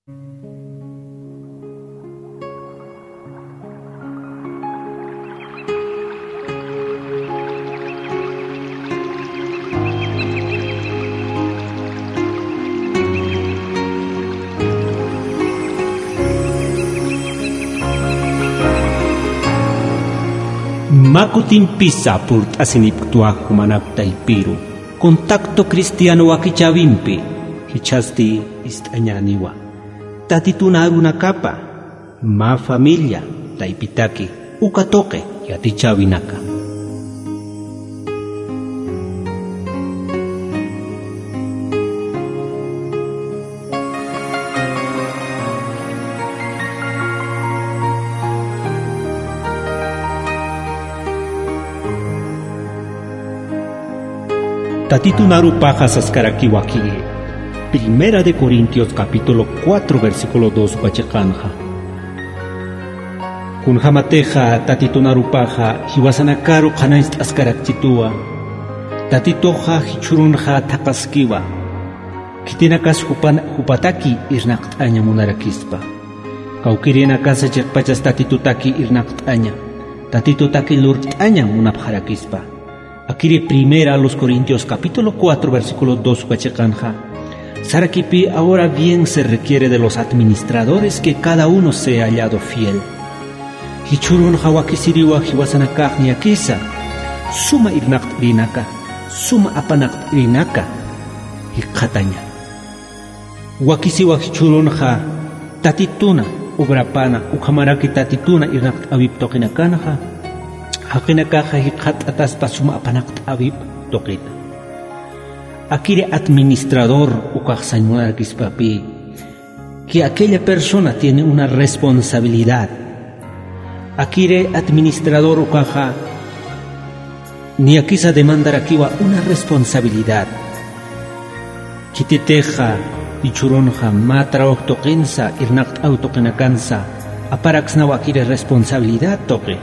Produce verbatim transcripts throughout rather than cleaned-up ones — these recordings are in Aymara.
Mä kutimpisa purt'asinipktwa jumanak taypiru Contacto Cristiano wakichäwimpi, jichhasti ist'añäniwa. Tatitun arunakapa mä familia taypitaki uka tuqi yatichäwinaka. Tatitun arupaxa saskarakiwa akiri Primera de Corintios capítulo cuatro versículo dos uka chiqanxa. Kunjamatixa Tatitun arupaxa jiwasanakaru qhanañcht'askarakchituwa, Tatituxa jichhürunxa thaqaskiwa. Khitinakas jupan-, jupataki irnaqt'aña munarakispa. Kawkïrinakasa chiqpachas Tatitutaki irnaqt'aña, Tatitutaki lurt'aña munapxarakispa. Akiri Primera a los Corintios capítulo cuatro versículo dos uka chiqanxa, sarakipï: "Ahora bien se requiere de los administradores que cada uno sea hallado fiel". Jichhürunxa wakisiriwa jiwasanakax niyakisa suma irnaqt'irinaka, suma apanaqt'irinaka jikxataña. Wakisiwa jichhürunxa Tatituna obrapana, ukhamaraki Tatituna irnaqt'äwip tuqinakanxa, jaqinakaxa jikxatt'ataspa suma apanaqt'äwip tuqita. Akiri administrador ukax sañ munarakispapï que aquella persona tiene una responsabilidad. Akiri administrador ukaxa niyakisa demandarakiwa una responsabilidad. Khititixa jichhürunxa mä trabajo tuqinsa, irnaqt'äw tuqinakansa, aparaksnawa akiri responsabilidad tuqi.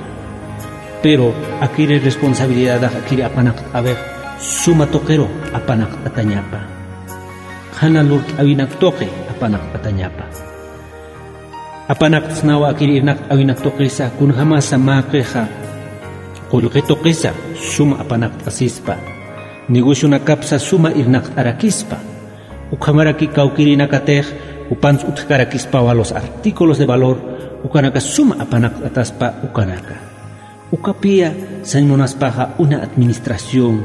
Pero akiri responsabilidadax akiri apanaqt'äwix suma tuqiru apanaqt'atañapa. Qhana lurt'äwinak tuqi apanaqt'atañapa. Apanaqtsnawa akiri irnaqt'äwinak tuqisa, kunjamasa mäqixa qullqi tuqisa suma apanaqt'asispa, negocionakapsa suma irnaqt'arakispa, ukhamaraki kawkïrinakatix jupans utjkarakispawa los artículos de valor, ukanaka suma apanaqt'ataspa ukanaka. Ukapï sañ munaspaxa una administración.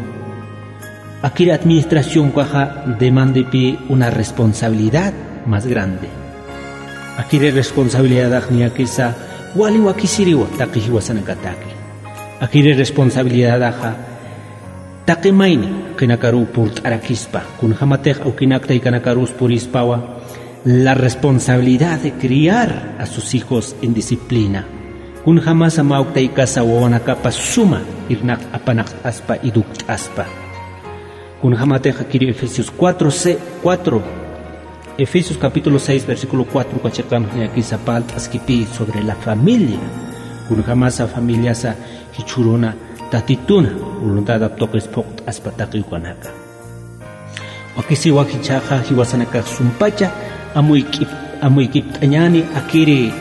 Akiri administración ukaxa demandipï una responsabilidad más grande. Akiri responsabilidadax niyakisa wali wakisiriwa taqi jiwasanakataki. Akiri responsabilidadaxa taqi mayni jaqinakaruw purt'arakispa, kunjamatix awkinak taykanakarus purispawa, la responsabilidad de criar a sus hijos en disciplina. Kunjamasa mä uk taykasa wawanakapa suma irnaq apanaqt'aspa, educt'aspa. Kunjamatix akiri Efesios cuatro, se-, cuatro, Efesios capítulo seis, versículo cuatro uka chiqanxa niyakisa parlt'askipï sobre la familia. Kunjamasa familiasa jichhüruna Tatituna voluntadap tuqis phuqt'aspa taqi ukanaka. Wakisiwa jichhaxa jiwasanakax sumpacha amuykip-, amuykipt'añäni akiri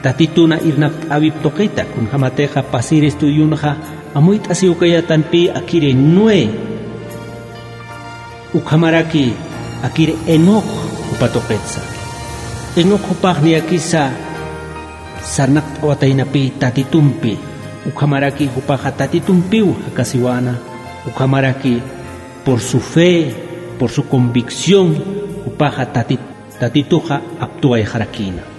Tatituna irnaqt'äwip tuqita, kunjamatixa pasir estudionxa amuyt'asiwkayatanpï akiri Noé, ukhamaraki akiri Enoc jupa tuqitsa. Enoc jupax niyakisa sarnaqt'awataynapï Tatitumpi, ukhamaraki jupaxa Tatitumpiw jakasiwäna, ukhamaraki por su fe, por su convicción, jupaxa Tati-, Tatituxa aptuwayxarakïna.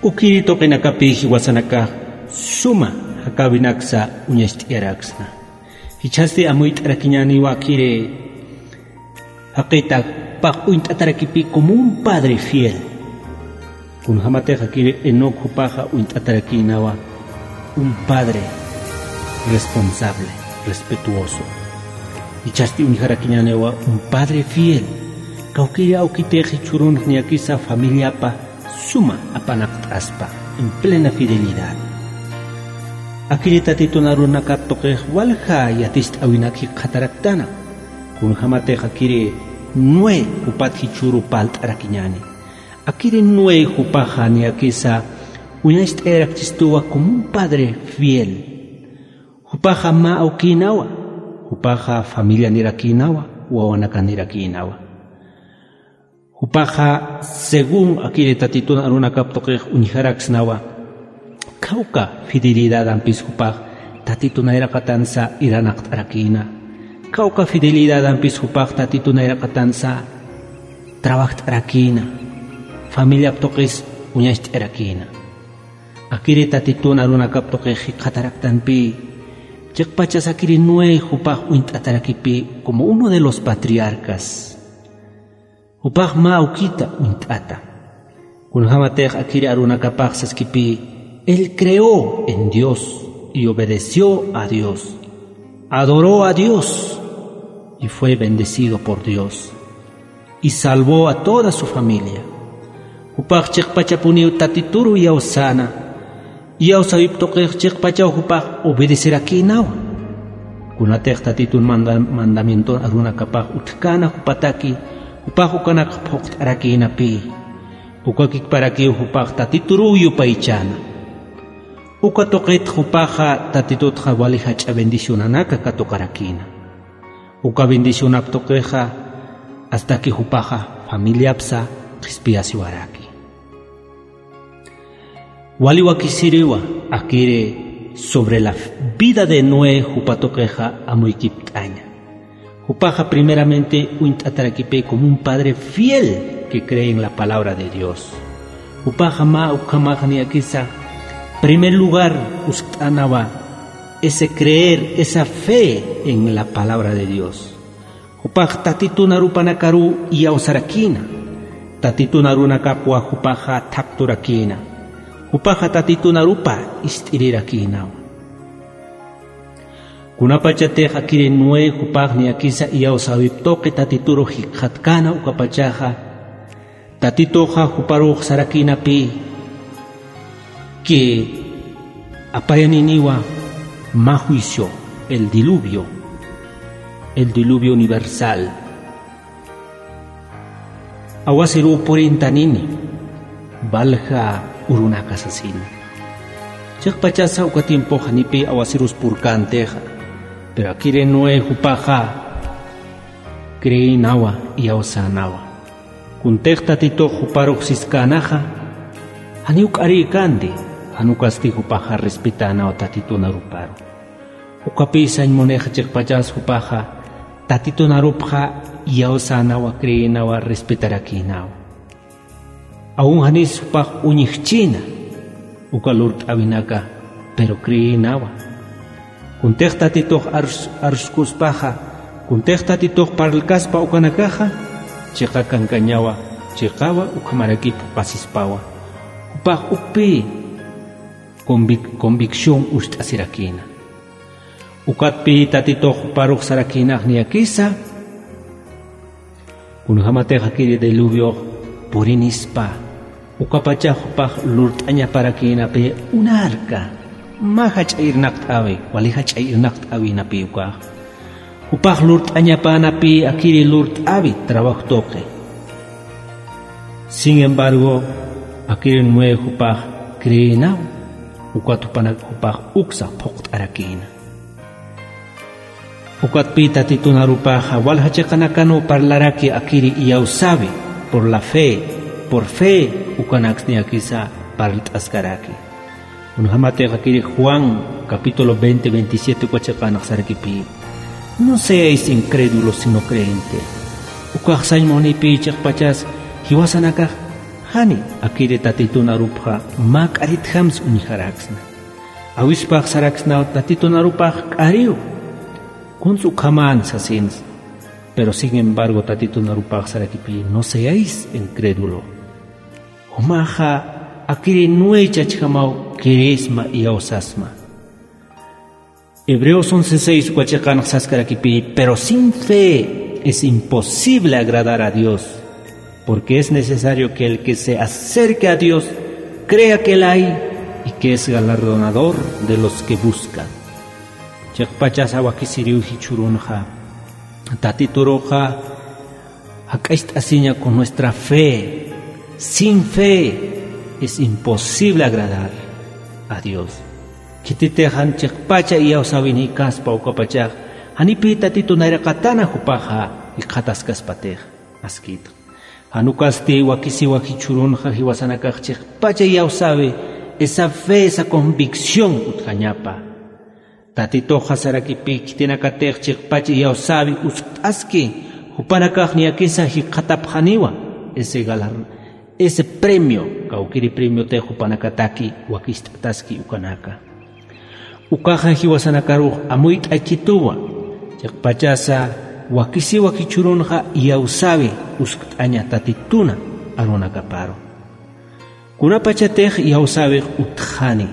Ukiri tuqinakapï jiwasanakax suma jakäwinaksa uñacht'ayaraksna. Jichhasti amuyt'arakiñäniwa akiri jaqita jupax uñt'atarakipï como un padre fiel. Kunjamatix akiri Enoc jupaxa uñt'atarakïnawa un padre responsable, respetuoso. Jichhasti uñjarakiñäniwa un padre fiel. Kawkïri awkitix jichhürunx niyakisa familiapa suma apanaqt'aspa, en plena fidelidad. Akiri Tatitun arunakap tuqix walja yaticht'äwinak jikxataraktana. Kunjamatix akiri Noé jupat jichhüru parlt'arakiñäni. Akiri Noé jupaxa niyakisa uñacht'ayarakchistuwa como un padre fiel. Jupaxa mä awkïnawa, jupaxa familianirakïnawa, wawanakanïrakïnawa. Jupaxa según akiri Tatitun arunakap tuqix uñjaraksnawa, khawka fidelidadampis jupax Tatitu nayraqatansa iranaqt'arakïna. Khawka fidelidadampis jupax Tatitu nayraqatansa trabajt'arakïna. Familiap tuqis uñacht'ayarakïna. Akiri Tatitun arunakap tuqix jikxataraktanpï, chiqpachas akiri Noé jupax uñt'atarakipï como uno de los patriarcas. Jupax mä awkita uñt'ata. Kunjamatix akiri arunakapax saskipï, él creó en Dios y obedeció a Dios. Adoró a Dios y fue bendecido por Dios. Y salvó a toda su familia. Jupax chiqpachapuniw Tatituru iyawsäna. Iyawsäwip tuqix chiqpachaw jupax obedecerakïnawa. Kunatix Tatitun manda-, mandamienton arunakapax utjkäna jupataki, jupax ukanak phuqt'arakïnapï. Uka kikparakiw jupax Tatituruw yupaychäna. Uka tuqit jupaxa Tatitutxa wali jach'a bendicionanaka katuqarakïna. Uka bendicionap tuqixa astaki jupaxa familiapsa qhispiyasiwaraki. Wali wakisiriwa akiri sobre la vida de Noé jupa tuqixa amuykipt'aña. Jupaxa primeramente uñt'atarakipï como un padre fiel que cree en la palabra de Dios. Jupaxa mä ukhamax niyakisa primer lugar uskt'änawa ese creer, esa fe en la palabra de Dios. Jupax Tatitun arupanakaruw iyawsarakïna. Tatitun arunakapwa jupaxa thaqturakïna. Jupaxa Tatitun arupa ist'irirakïnawa. Kunapachatix akiri Noé jupax niyakisa iyawsäwip tuqi Tatituru jikxatkäna ukapachaxa, Tatituxa juparux sarakïnapï que apayaniniwa mä juicio, el diluvio, el diluvio universal. Awasiruw purintanini, valja urunaka sasini. Chiqpachasa uka tiempoxa janipï awasirus purkäntixa, pero akiri Noé jupaxa creeynawa, iyawsänawa. Kuntix Tatitux juparux siskänaxa, janiw k'arïkänti, jan ukasti jupaxa respetänaw Tatitun aruparu. Ukapï sañ munixa chiqpachas jupaxa Tatitun arupxa iyawsänawa, creeynawa, respetarakïnawa. Aun janis jupax uñjchïna uka lurt'äwinaka, pero creeynawa. Kuntix Tatitux ars-, arskuspaxa, kuntix Tatitux parlkaspa ukanakaxa, chiqa kankañawa, chiqawa ukhamaraki phuqasispawa. Jupax ukpï convic-, convicción ucht'asirakïna. Ukatpï Tatitux juparux sarakïnax niyakisa, kunjamatix akiri diluviox purinispa, ukapachax jupax lurt'añaparakïnapï un arca, mä jach'a irnaqt'äwi, wali jach'a irnaqt'äwinapï ukax. Jupax lurt'añapänapï akiri lurt'äwi trabajo tuqi. Sin embargo, akiri Noé jupax creeynaw, ukat jupanak jupax uksa phuqt'arakïna. Ukatpï Tatitun arupaxa walja chiqanakanw parlaraki akiri iyawsäwi, por la fe, por fe, ukanaks niyakisa parlt'askaraki. Kunjamatix akiri Juan capítulo veinte, veintisiete uka chiqanax sarakipï: No seáis incrédulos, sino creyentes. Ukax sañ munipï chiqpachas jiwasanakax jani akiri Tatitun arupxa mä k'aritjamsa uñjaraksna. Awispax saraksnaw Tatitun arupax k'ariw, kuns ukhamäni sasinsa. Pero sin embargo Tatitun arupax sarakipï: No seáis incrédulo. Jumaxa akiri Noé chachjamaw creesma, iyawsasma. Hebreos once seis uka chiqanax saskarakipï: Pero sin fe es imposible agradar a Dios, porque es necesario que el que se acerque a Dios crea que él hay y que es galardonador de los que buscan. Chiqpachasa wakisiriw jichhürunxa, Tatituruxa Jak'acht'asiña con nuestra fe. Sin fe es imposible agradar a Dios. Khititix jan chiqpacha iyawsäwinïkaspa ukapachax, janipï Tatitu nayraqatana jupaxa jikxataskaspatix. Askïtx. Jan ukasti wakisiwa jichhürunxa jiwasanakax chiqpacha iyawsäwi, esa fe, esa convicción utjañapa. Tatituxa sarakipï khitinakatix chiqpach iyawsäwi uskt'aski, jupanakax niyakisa jikxatapxaniwa, ese galar-, ese premio, kawkïri premiotix jupanakataki wakicht'ataski ukanaka. Ukaxa jiwasanakarux amuyt'aykituwa, chiqpachasa wakisiwa jichhürunxa iyawsäwi uskt'aña Tatituna arunakaparu. Kunapachatix iyawsäwix utjani.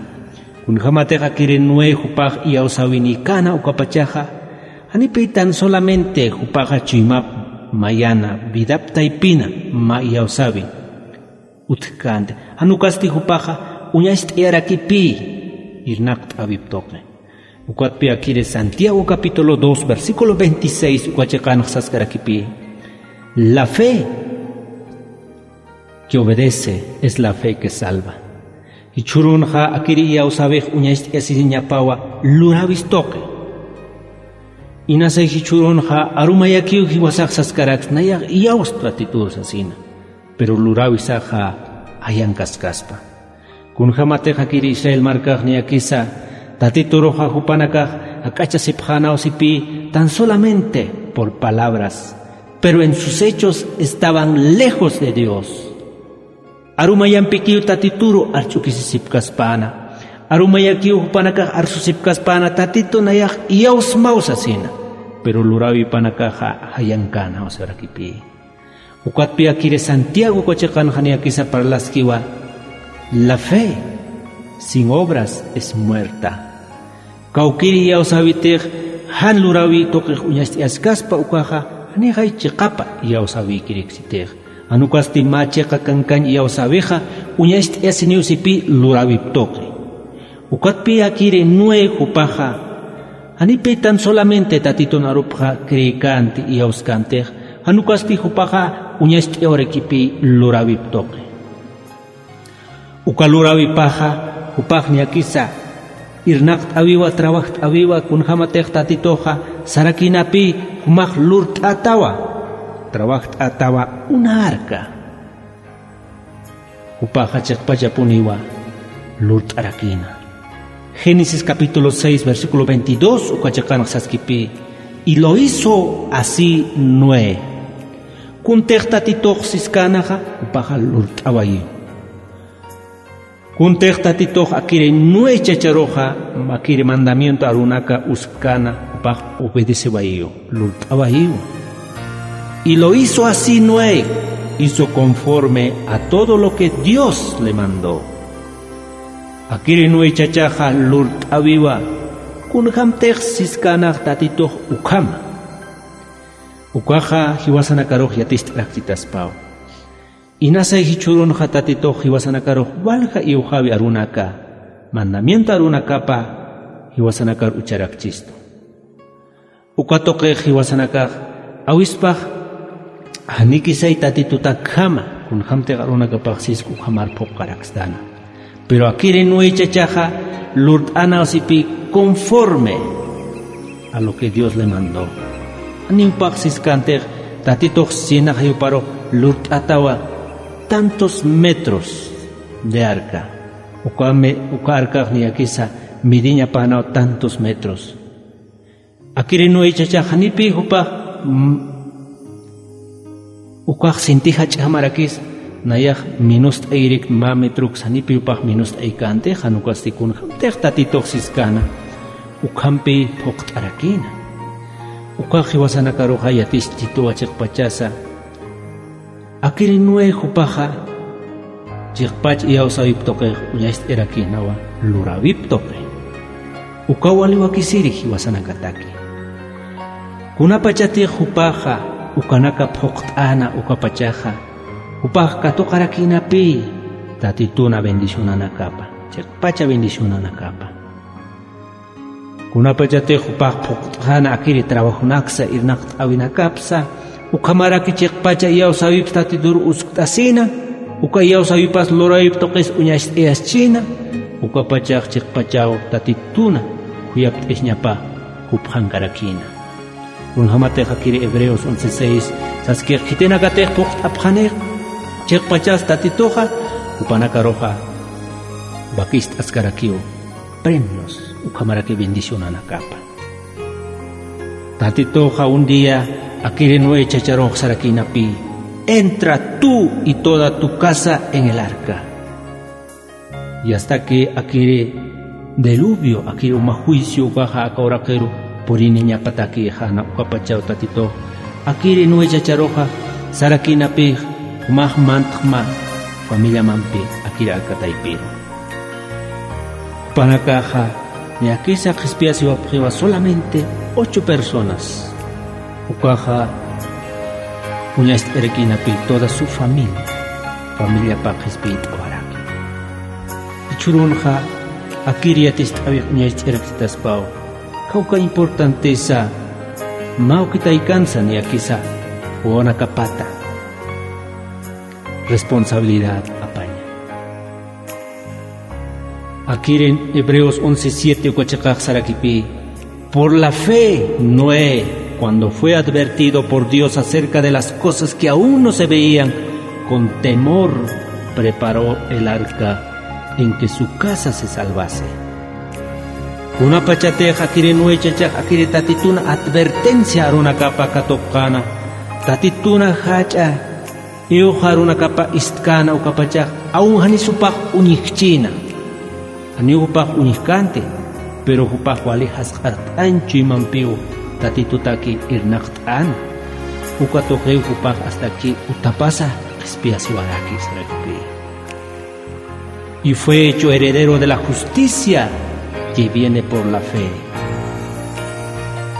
Kunjämatix akiri Noé jupax iyawsäwinïkäna ukapachaxa, janipï tan solamente jupaxa chuymap mayana, vidap taypina mä iyawsäwi utjkänti. Jan ukasti jupaxa uñacht'ayarakipï irnaqt'äwip tuqi. Ukatpï akiri Santiago capítulo dos, versículo veintiséis, uka chiqanx saskarakipï: La fe que obedece es la fe que salva. Jichhürunxa akiri iyawsäwix uñacht'ayasiñapawa luräwis tuqi. Inasay jichhürunxa arumayakiw jiwasax saskaraks, nayax iyawspa Tatitur sasina. Pero luräwisaxa jayankaskaspa. Kunjämatix akiri Israel markax niyakisa, Tatituruxa jupanakax jak'achasipxänawsipï tan solamente por palabras, pero en sus hechos estaban lejos de Dios. Arumayampikiw Tatituru arch'ukisisipkaspäna. Arumayakiw jupanakax arsusipkaspäna Tatitu nayax iyawsmaw sasina. Pero luräwipanakaxa jayankänaw sarakipï. Ukatpï akiri Santiago uka chiqanxa niyakisa parlaskiwa: La fe sin obras es muerta. Kawkïri iyawsäwitix jan luräwi tuqix uñacht'ayaskaspa ukaxa, janixay chiqapa iyawsäwikiriksitix. Jan ukasti mä chiqa kankañ iyawsäwixa uñacht'ayasiniwsipï luräwip tuqi. Ukatpï akiri Noé jupaxa, janipï tan solamente Tatitun arupxa creekänti, iyawskänti, jan ukasti jupaxa uñacht'ayawarakipï luräwip tuqi. Uka luräwipaxa, jupax niyakisa irnaqt'äwiwa, trabajt'äwiwa, kunjämatix Tatituxa sarakïnapï jumax lurt'ätawa, trabajt'ätawa una arca. Jupaxa chiqpachapuniwa lurt'arakïna. Génesis capítulo seis, versículo veintidós, uka chiqanx saskipï: Y lo hizo así Noé. Kuntix Tatitux siskänaxa, jupaxa lurt'awayiw. Kuntix Tatitux akiri Noé chacharuxa, akiri mandamiento arunaka uskkäna, jupax obedecewayiw, lurt'awayiw. Y lo hizo así Noé, hizo conforme a todo lo que Dios le mandó. Akiri Noé chachaxa lurt'awiwa, kunjämtix siskänax Tatitux ukhama. Ukaxa jiwasanakarux yaticht'arakchitaspaw. Inasay jichhürunxa Tatitux jiwasanakarux walja iwxäwi arunaka, mandamiento arunakapa jiwasanakar ucharakchistu. Uka tuqix jiwasanakax awispax, janikisay Tatitutakjama, kunjämtix arunakapax sisk ukhamar phuqarakstana. Pero akiri Noé chachaxa lurt'anawsipï conforme a lo que Dios le mandó. Janiw pax siskäntix Tatitux sinaxayuparux lurt'atawa tantos metros de arca. Uka me-, uka arcax niyakisa midiñapänaw tantos metros. Akiri Noé chachax janipï jupax, mm, ukax sinti jach'jamarakis, nayax minust'ayirik mä metrux janipï jupax minust'ayikäntix, jan ukasti kunjämtix Tatitux siskäna, ukhampï phuqt'arakïna. Ukax jiwasanakaruxa yatichtituwa chiqpachasa, akiri Noé jupaxa, chiqpach iyawsäwip tuqix uñacht'ayarakïnawa luräwip tuqi. Ukaw wali wakisiri jiwasanakataki. Kunapachatix jupaxa, ukanaka phuqt'äna ukapachaxa, jupax katuqarakïnapï, Tatituna bendicionanakapa, chiqpacha bendicionanakapa. Kunapachatix jupax phuqt'xäna akiri trabajonaksa irnaqt'äwinakapsa, Ukhamaraki chiqpacha iyawsäwipas Tatitur uskt'asina, uka iyawsäwipas luräwip tuqis uñacht'ayaschina, ukapachax chiqpachaw Tatituna khuyapt'isñapa jupxankarakïna. Kunjamatix akiri Hebreos once seis saskix khitinakatix phuqt'apxanix, chiqpachas Tatituxa jupanakaruxa wakist'askarakiw premios ukhamaraki bendicionanakapa. Tatituxa un día akiri Noé chacharux sarakïnapï: "Entra tú y toda tu casa en el arca". Y hasta que akiri diluvio, akiri uma juicio ukaxa aka uraqiru puriniñapatakixa, ukapachaw Tatitux akiri Noé chacharuxa sarakïnapïx, jumax mantxma familiamampi akiri aka taypiru. Jupanakaxa niyakisa qhispiyasiwapxiwa solamente ocho personas. Ukaxa uñacht'arakïnapï toda su familia, familiapa qhispiyt'awaraki. Jichhürunxa akiri yatist'äwix uñacht'ayarakchitaspaw, kawka importantesa mä awki taykansa niyakisa wawanakapata responsabilidad apaña. Akiri Hebreos once siete uka chiqax sarakipï: "Por la fe, Noé, cuando fue advertido por Dios acerca de las cosas que aún no se veían, con temor preparó el arca en que su casa se salvase". Kunapachatix akiri Noé chachax akiri Tatituna advertencia arunakapa katuqkäna, Tatituna jach'a iwxa arunakapa ist'käna, ukapachax aun janis jupax uñjkchïna. Janiw jupax uñjkänti, pero jupax wali jasq'art'añ chuymampiw Tatitutaki irnaqt'äna. Uka tuqiw jupax hasta que utapasa qhispiyasiwaraki sarakipï. Y fue hecho heredero de la justicia que viene por la fe.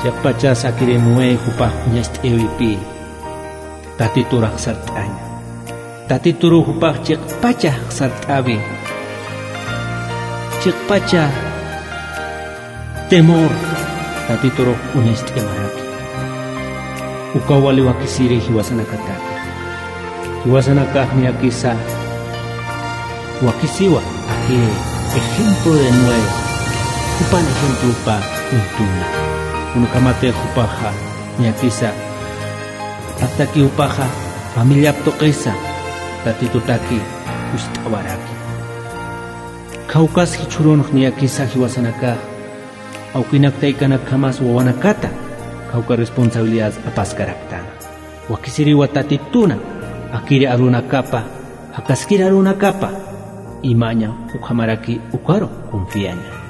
Chiqpachas akiri Noé jupax uñacht'ayawipï Tatitur sart'aña. Tatituruw jupax chiqpacha sart'awi. Chiqpacha temor Tatiturux uñacht'ayamaraki. Ukaw wali wakisiri jiwasanakataki. Jiwasanakax niyakisa wakisiwa, akiri ejemplo de Noé, jupan ejemplopa uñtuna. Kunjamatix jupaxa niyakisa, hasta que jupaxa familiap tuqisa Tatitutaki ust'awaraki. Kawkhas jichhürunx niyakisa jiwasanakax awkinak taykanakjamas wawanakata kawka responsabilidad apaskaraktan. Wakisiriwa Tatituna akiri arunakapa, jakaskir arunakapa imaña ukhamaraki ukaru confiaña.